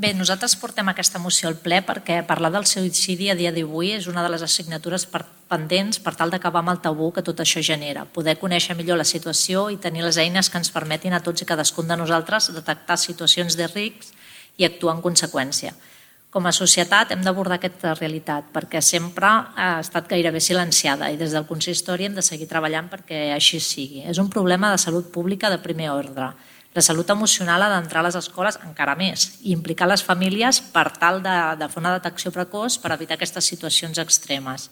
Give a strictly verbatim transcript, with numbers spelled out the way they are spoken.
Bé, nosaltres portem aquesta moció al ple perquè parlar del suïcidi a dia d'avui és una de les assignatures pendents per tal d'acabar amb el tabú que tot això genera, poder conèixer millor la situació i tenir les eines que ens permetin a tots i cadascun de nosaltres detectar situacions de risc i actuar en conseqüència. Com a societat hem d'abordar aquesta realitat perquè sempre ha estat gairebé silenciada i des del consistori hem de seguir treballant perquè així sigui. És un problema de salut pública de primer ordre. La salut emocional ha d'entrar a les escoles encara més i implicar les famílies per tal de, de fer una detecció precoç per evitar aquestes situacions extremes.